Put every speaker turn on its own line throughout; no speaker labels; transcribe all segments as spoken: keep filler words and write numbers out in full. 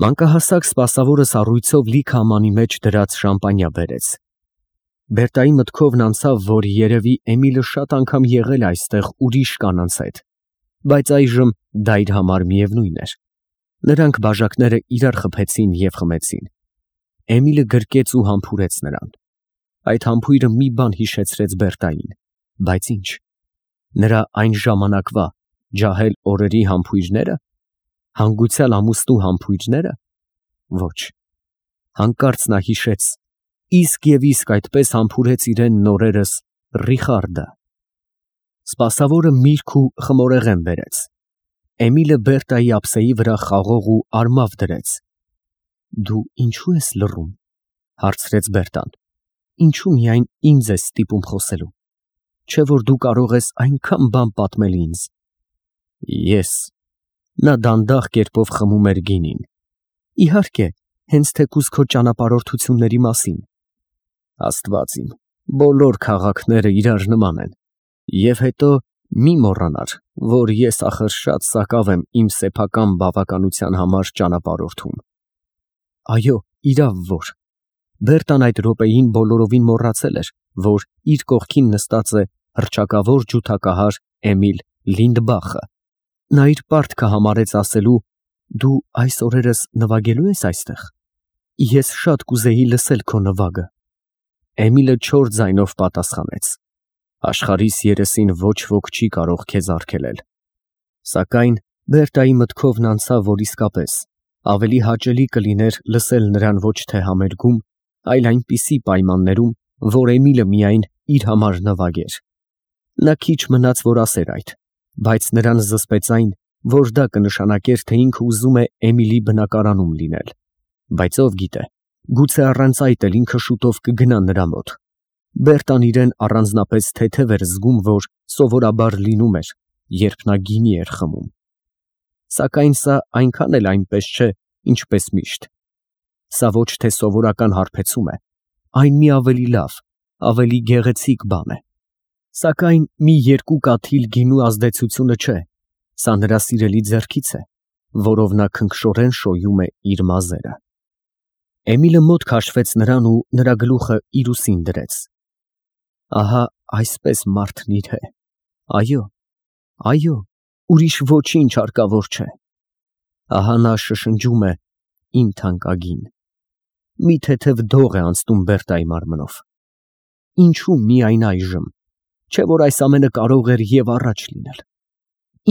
Մանկահասակ սպասավորը սառույցով լիքը ամանի մեջ դրած շամպանիա բերեց։ Բերտայի մտքովն անցավ, որ երևի Էմիլը շատ անգամ եղել է այստեղ ուրիշ կանանց հետ, բայց այժմ դա իր համար միևնույն էր։ Նրանք բաժակները իրար խփեցին և խմեցին։ Էմիլը գրկեց ու համբուրեց նրան։ Այդ համբույրը մի բան հիշեցրեց Բերտային, բայց ինչ։ Նրա այն ժամանակվա ջահել օրերի համբույրնե՞րը, հանգուցյալ ամուսնու համբույրնե՞րը։ Ոչ։ Հանկարծ նա հիշեց, իսկ և իսկ այդպես համբուրեց իրեն նորերս Ռիխարդը։ Սպասավորը միրգ ու խմորեղեն բերեց։ Էմիլը Բերտայի ափսեի վրա խաղող ու արմավ դրեց։ Դու ինչո՞ւ ես լռում, հարցրեց Բերտան։ Ինչո՞ւ միայն ինձ ես ստիպում խոսելու, չէ՞ որ դու կարող ես այնքան բան պատմել ինձ։ Ես։ Նա դանդաղ կերպով խմում էր գինին։ Իհարկե, հենց թեկուզ քո ճանապարհորդությունների մասին։ Աստված իմ, բոլոր քաղաքները իրար նման են։ Եվ հետո մի մոռանար, որ ես ախր շատ սակավ եմ իմ սեփական բավականության համար ճանապարհորդում։ Այո, իրավ որ։ Բերտան այդ րոպեին բոլորովին մոռացել էր, որ իր կողքին նստած է հռչակավոր ջութակահար Էմիլ Լինդբախը։ Նա իր պարտքը համարեց ասելու. դու այս օրերս նվագելու ես այստեղ։ Ես շատ կուզեի լսել քո նվագը։ Էմիլը չոր ձայնով պատասխանեց. Աշխարհիս երեսին ոչ ոք չի կարող քեզ արգելել։ Սակայն Բերտայի մտքովն անցավ, որ իսկապես ավելի հաճելի կլիներ լսել նրան ոչ թե համերգում, այլ այնպիսի պայմաններում, որ Էմիլը միայն իր համար նվագեր։ Նա քիչ մնաց, որ ասեր այդ, բայց նրան զսպեց այն, որ դա կնշանակեր, թե ինքը ուզում է Էմիլի բնակարանում լինել։ Բայց ով գիտե, գուցե առանց այդ էլ ինքը շուտով կգնա նրա մոտ։ Բերտան իրեն առանձնապես թեթև էր զգում, որ սովորաբար լինում էր, երբ նա գինի էր խմում։ Սակայն սա այնքան էլ այնպես չէ, ինչպես միշտ։ Սա ոչ թե սովորական հարբեցում է, այն մի ավելի լավ, ավելի գեղեցիկ բան է։ Սակայն մի երկու կաթիլ գինու ազդեցությունը չէ, սա նրա սիրելի ձեռքից է, որով նա քնքշորեն շոյում է իր մազերը։ Էմիլը մոտ քաշվեց նրան ու նրա գլուխը իր ուսին դրեց։ Ահա այսպես մարդն իր է։ Այո, այո, ուրիշ ոչինչ հարկավոր չէ։ Ահա նա շշնջում է իմ թանկագին։ Մի թեթև դող է անցնում Բերտայի մարմնով։ Ինչու միայն այժմ, չէ՞ որ այս ամենը կարող էր և առաջ լինել։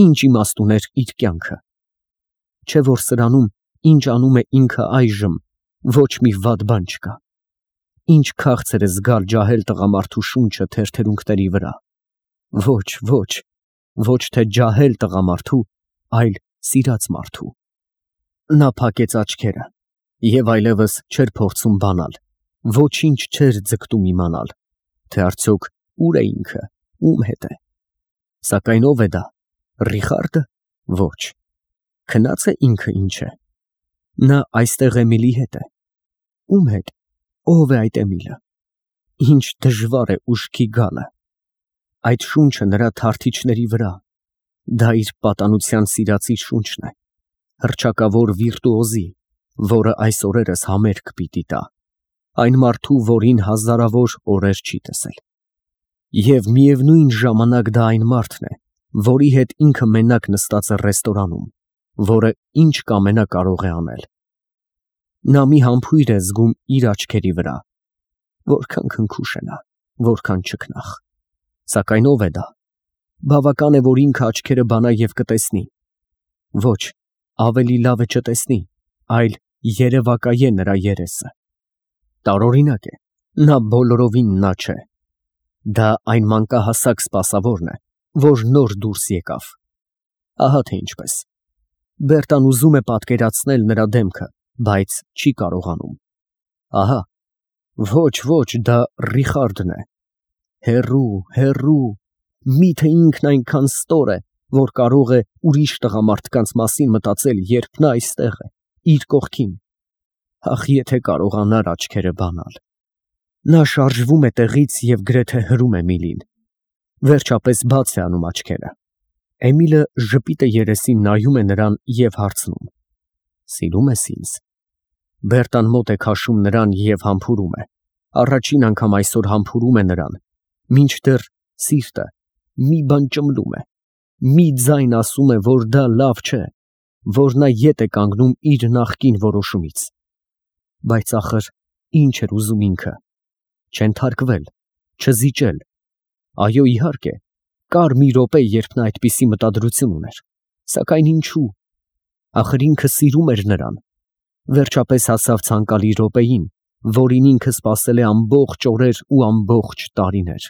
Ինչ իմաստ ուներ իր կյանքը։ Չէ՞ որ սրանում, ինչ անում է ինքը այժմ, ոչ մի վատ բան չկա։ Ինչ քաղցր է զգալ ջահել տղամարդու շունչը թերթերունքների վրա։ Ոչ, ոչ, ոչ թե ջահել տղամարդու, այլ սիրած մարդու։ Նա փակեց աչքերը և այլևս չէր փորձում բանալ, ոչինչ չէր ձգտում իմանալ, թե արդյոք ուր է ինքը, ում հետ է։ Սակայն ո՞վ է դա, Ռիխարդը։ Ոչ։ Քնա՞ծ է ինքը ինչ է։ Նա այստեղ Էմիլի հետ է։ Ում հետ։ Ո՞վ է այդ Էմիլը։ Ինչ դժվար է ուշքի գալը։ Այդ շունչը նրա թարթիչների վրա, դա իր պատանության սիրածի շունչն է, հռչակավոր վիրտուոզի, որը այս օրերս համերգ պիտի տա, այն մարդու, որին հազարավոր օրեր չի տեսել։ Եվ միևնույն ժամանակ դա այն մարդն է, որի հետ ինքը մենակ նստած է ռեստորանում, որը ինչ կամենա կարող է անել։ Նա մի համբույր է զգում իր աչքերի վրա, որքան քնքուշ է նա, որքան չքնաղ։ Սակայն ո՞վ է դա։ Բավական է, որ ինքը աչքերը բանա և կտեսնի։ Ոչ, ավելի լավ է չտեսնի, այլ երևակայե նրա երեսը։ Տարօրինակ է, նա բոլորովին նա չէ։ Դա այն մանկահասակ սպասավորն է, որ նոր դուրս եկավ։ Ահա թե ինչպես։ Բերտան ուզում է պատկերացնել նրա դեմքը, բայց չի կարողանում։ Ահա, ոչ, ոչ, դա Ռիխարդն է։ Հեռու, հեռու, միթե ինքն այնքան ստոր է, որ կարող է ուրիշ տղամարդկանց մասին մտածել, երբ նա այստեղ է, իր կողքին։ Ախ, եթե կարողանար աչքերը բանալ։ Նա շարժվում է տեղից և գրեթե հրում Էմիլին։ Վերջապես բաց է անում աչքերը։ Էմիլը ժպիտը երեսին նայում է նրան և հարցնում. Սիրում ես ինձ։ Բերտան մոտ է քաշում նրան և համբուրում է։ Առաջին անգամ այսօր համբուրում է նրան, մինչդեռ սիրտը մի բան ճմլում է, մի ձայն ասում է, որ դա լավ չէ, որ նա ետ է կանգնում իր նախկին որոշումից։ Բայց ախր ինչ էր ուզում ինքը։ Չենթարկվել, չզիջել։ Այո, իհարկե, կար մի րոպե, երբ նա այդպիսի մտադրություն ուներ, սակայն ինչու։ Ախր ինքը սիրում էր նրան։ Վերջապես հասավ ցանկալի րոպեին, որին ինքը սպասել է ամբողջ օրեր ու ամբողջ տարիներ։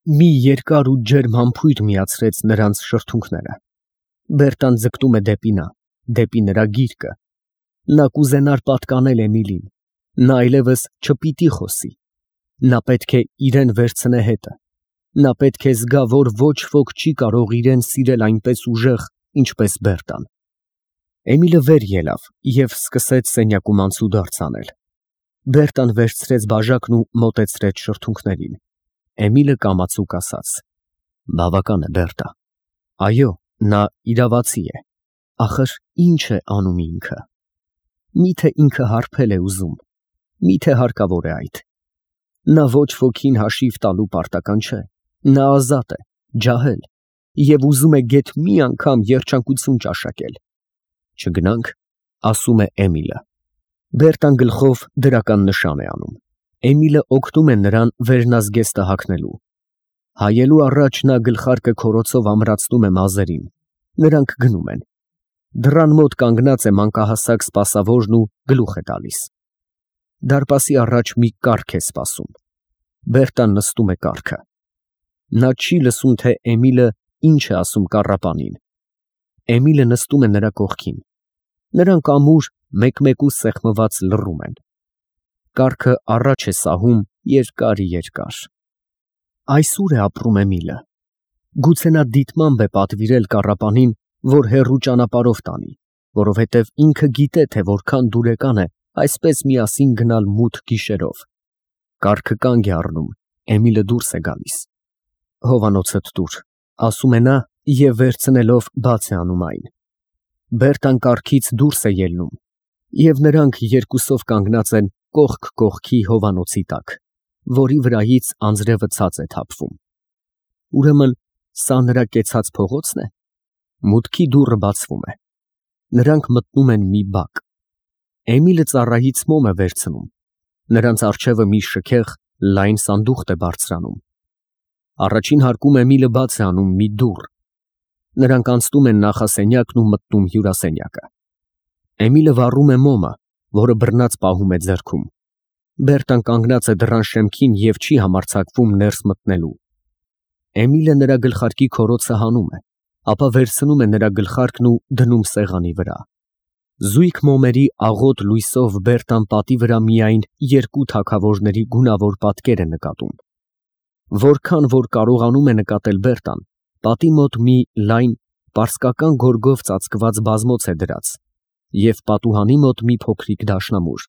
Մի երկար ու ջերմ համբույր միացրեց նրանց շրթունքները։ Բերտան ձգտում է դեպի նա, դեպի նրա գիրկը։ Նա կուզենար պատկանել Էմիլին։ Նա այլևս չպիտի խոսի։ Նա պետք է իրեն վերցնե հետը։ Նա պետք է զգա, որ ոչ ոք չի կարող իրեն սիրել այնպես ուժեղ, ինչպես Բերտան։ Էմիլը վեր ելավ և սկսեց սենյակում անցուդարձ անել։ Բերտան վերցրեց բաժակն ու մոտեցրեց շրթունքներին։ Էմիլը կամացուկ ասաց. Բավական է, Բերտա։ Այո, նա իրավացի է։ Ախր ինչ է անում ինքը։ Միթե ինքը հարբել է ուզում։ Միթե հարկավոր է այդ։ Նա ոչ ոքին հաշիվ տալու պարտական չէ։ Նա ազատ է, ջահել, և ուզում է գեթ մի անգամ երջանկություն ճաշակել։ Չգնա՞նք, ասում է Էմիլը։ Բերտան գլխով դրական նշան է անում։ Էմիլը օգնում է նրան վերնազգեստը հագնելու։ Հայելու առաջ նա գլխարկը քորոցով ամրացնում է մազերին։ Նրանք գնում են։ Դռան մոտ կանգնած է մանկահասակ սպասավորն ու գլուխ է տալիս։ Դարպասի առաջ մի կառք է սպասում։ Բերտան նստում է կառքը։ Նա չի լսում, թե Էմիլը ինչ է ասում կառապանին։ Էմիլը նստում է նրա կողքին։ Նրանք ամուր մեկ֊մեկու սեղմված լռում են։ Կառքը առաջ է սահում երկար֊երկար։ Այս ուր է ապրում Էմիլը։ Գուցե նա դիտմամբ է պատվիրել կառապանին, որ հեռու ճանապարհով տանի, որովհետև ինքը գիտե, թե որքան դուրեկան է այսպես միասին գնալ մութ գիշերով։ Կառքը կանգ է առնում, Էմիլը դուրս է գալիս։ Հովանոցդ տուր, ասում է նա և վերցնելով բաց է անում այն։ Բերտան կառքից դուրս է ելնում, և նրանք երկուսով կանգնած են կողք կողքի հովանոցի տակ, որի վրայից անձրևը ցած է թափվում։ Ուրեմն սա նրա կեցած փողոցն է։ Մուտքի դուռը բացվում է։ Նրանք մտնում են մի բակ։ Էմիլը ծառայից մոմ է վերցնում։ Նրանց առջևը մի շքեղ, լայն սանդուղք է բարձրանում։ Առաջին հարկում Էմիլը բաց է անում մի դուռ։ Նրանք անցնում են նախասենյակն ու մտնում հյուրասենյակը։ Էմիլը վառում է մոմը, որը բռնած պահում է ձեռքում։ Բերտան կանգնած է դռան շեմքին և չի համարձակվում ներս մտնելու։ Էմիլը նրա գլխարկի քորոցը հանում է, ապա վերցնում է նրա գլխարկն ու դնում սեղանի վրա։ Զույգ մոմերի աղոտ լույսով Բերտան պատի վրա միայն երկու թագավորների գունավոր պատկեր է նկատում։ Որքան որ կարողանում է նկատել Բերտան, պատի մոտ մի լայն, պարսկական գորգով ծածկված բազմոց է դրած և պատուհանի մոտ մի փոքրիկ դաշնամուր,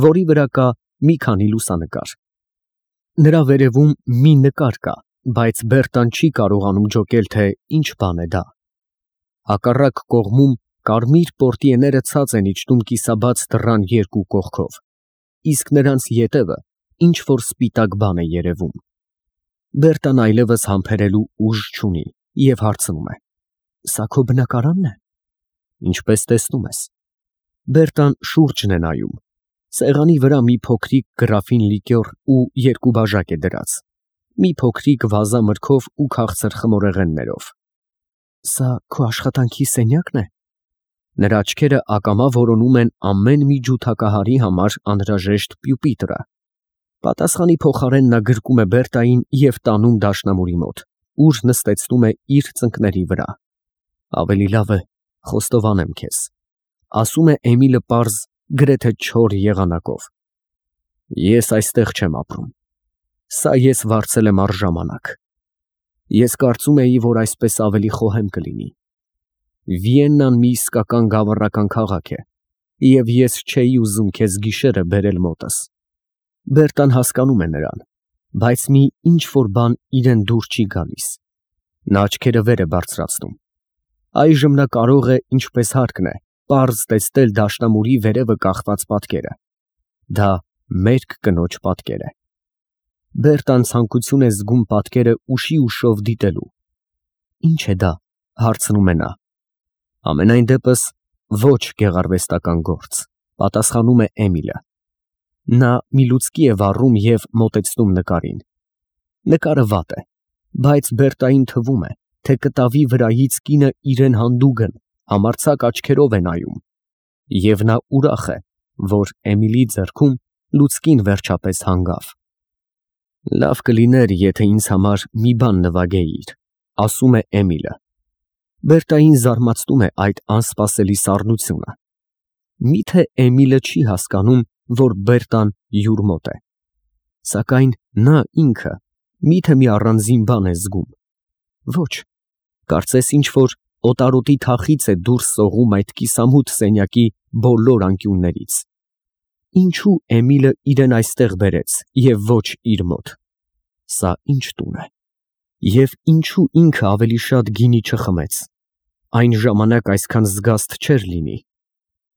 որի վրա կա մի քանի լուսանկար։ Նրա վերևում մի նկար կա, բայց Բերտան չի կարողանում ջոկել, թե ինչ բան է դա։ Հակառակ կողմում կարմիր պորտիեները ցած են իջնում կիսաբաց դռան երկու կողքով, իսկ նրանց ետևը ինչ-որ սպիտակ բան է երևում։ Բերտան այլևս համբերելու ուժ չունի և հարցնում է. Սա քո բնակարա՞նն է։ Ինչպես տեսնում ես։ Բերտան շուրջն է նայում։ Սեղանի վրա մի փոքրիկ գրաֆին լիկյոր ու երկու բաժակ է դրած, մի փոքրիկ վազա մրգով ու քաղցր խմորեղեններով։ Սա քո աշխատանքի սենյակն է։ Նրա աչքերը ակամա որոնում են ամեն մի ջութակահարի համար անհրաժեշտ պյուպիտրը։ Պատասխանի փոխարեն նա գրկում է Բերտային և տանում դաշնամուրի մոտ, ուր նստեցնում է իր ծնկների վրա։ Ավելի լավ է խոստովանեմ քեզ, ասում է Էմիլը պարզ, գրեթե չոր եղանակով։ Ես այստեղ չեմ ապրում։ Սա ես վարձել եմ առժամանակ։ Ես կարծում էի, որ այսպես ավելի խոհեմ կլինի։ Վիեննան մի իսկական գավառական քաղաք է, և ես չէի ուզում քեզ գիշերը բերել մոտս։ Բերտան հասկանում է նրան, բայց մի ինչ-որ բան իրեն դուր չի գալիս։ Նա աչքերը վեր է բարձրացնում։ Այժմ նա կարող է, ինչպես հարկն է, պարզ տեսնել դաշնամուրի վերևը կախված պատկերը։ Դա մերկ կնոջ պատկեր է։ Բերտան ցանկություն է զգում պատկերը ուշի ուշով դիտելու։ Ինչ է դա, հարցնում է նա։ Ամենայն դեպս ոչ գեղարվեստական գործ, պատասխանում է Էմիլը։ Նա մի լուցկի է վառում և մոտեցնում նկարին։ Նկարը վատ է, բայց Բերտային թվում է, թե կտավի վրայից կինը իրեն հանդուգն, համարձակ աչքերով է նայում, և նա ուրախ է, որ Էմիլի ձեռքում լուցկին վերջապես հանգավ։ Լավ կլիներ, եթե ինձ համար մի բան նվագեիր, ասում է Էմիլը։ Բերտային զարմացնում է այդ անսպասելի սառնությունը։ Միթե Էմիլը չի հասկանում, որ Բերտան յուր մոտ է։ Սակայն նա ինքը միթե մի առանձին բան է զգում։ Ոչ, կարծես ինչ-որ օտարոտի թախիծ է դուրս սողում այդ կիսամութ սենյակի բոլոր անկյուններից։ Ինչու Էմիլը իրեն այստեղ բերեց և ոչ իր մոտ։ Սա ինչ տուն է։ Եվ ինչու ինքը ավելի շատ գինի չխմեց։ Այն ժամանակ այսքան զգաստ չէր լինի։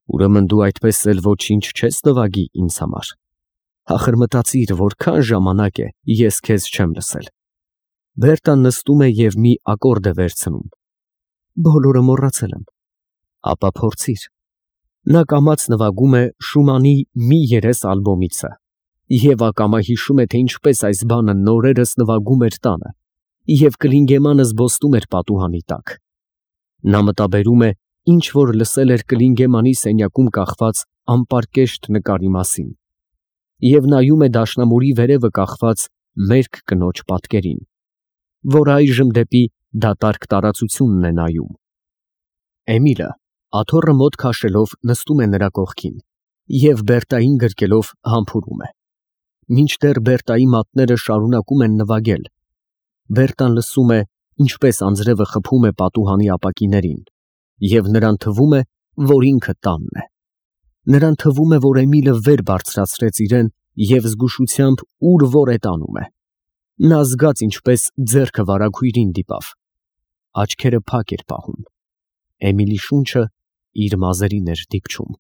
Ուրեմն դու այդպես էլ ոչինչ չես նվագի ինձ համար։ Ախր մտածիր, որքան ժամանակ է ես քեզ չեմ լսել։ Բերտան նստում է և մի ակորդ է վերցնում։ Բոլորը մոռացել եմ։ Ապա փորձիր։ Նա կամաց նվագում է Շումանի մի երես ալբոմիցը և ակամա հիշում է, թե ինչպես այս բանը նորերս նվագում էր տանը, և Կլինգեմանը զբոսնում էր պատուհանի տակ։ Նա մտաբերում է, ինչ որ լսել էր Կլինգեմանի սենյակում կախված անպարկեշտ նկարի մասին, և նայում է դաշնամուրի վերևը կախված մերկ կնոջ պատկերին, որ այժմ դեպի դատարկ տարածությունն է նայում։ Էմիլը աթոռը մոտ քաշելով նստում է նրա կողքին և Բերտային գրկելով համբուրում է։ Մինչդեռ Բերտայի մատները շարունակում են նվագել, Բերտան լսում է, ինչպես անձրևը խփում է պատուհանի ապակիներին, և նրան թվում է, որ ինքը տանն է։ Նրան թվում է, որ Էմիլը վեր բարձրացրեց իրեն և զգուշությամբ ուր որ է տանում է։ Նա զգաց, ինչպես ձեռքը վարագույրին դիպավ։ Աչքերը փակ էր պահում։ Էմիլի շունչը իր մազերին էր դիպչում։